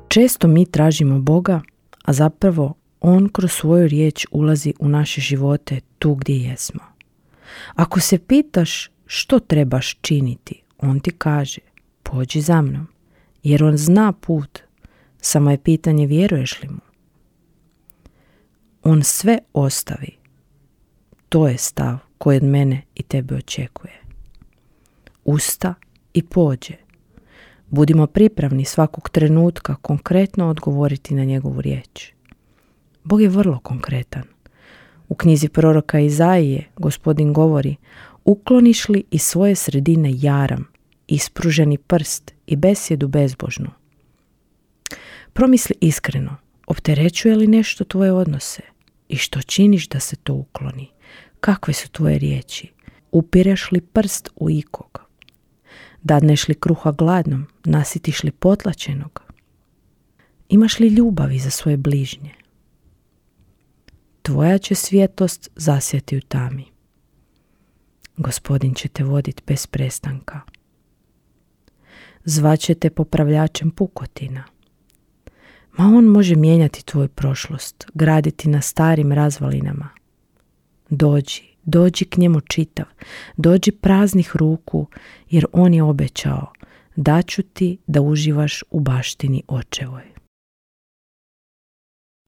Često mi tražimo Boga, a zapravo On kroz svoju riječ ulazi u naše živote tu gdje jesmo. Ako se pitaš što trebaš činiti, On ti kaže, pođi za mnom, jer On zna put, samo je pitanje vjeruješ li mu. On sve ostavi. To je stav koji od mene i tebe očekuje. Usta i pođe. Budimo pripravni svakog trenutka konkretno odgovoriti na njegovu riječ. Bog je vrlo konkretan. U knjizi proroka Izaije Gospodin govori: ukloniš li iz svoje sredine jaram, ispruženi prst i besjedu bezbožnu? Promisli iskreno, opterećuje li nešto tvoje odnose i što činiš da se to ukloni? Kakve su tvoje riječi? Upireš li prst u ikog? Dadneš li kruha gladnom? Nasitiš li potlačenog? Imaš li ljubavi za svoje bližnje? Tvoja će svjetlost zasjati u tami. Gospodin će te voditi bez prestanka. Zvaće te popravljačem pukotina. Ma on može mijenjati tvoju prošlost, graditi na starim razvalinama. Dođi k njemu čitav, dođi praznih ruku, jer on je obećao, daću ti da uživaš u baštini očevoj.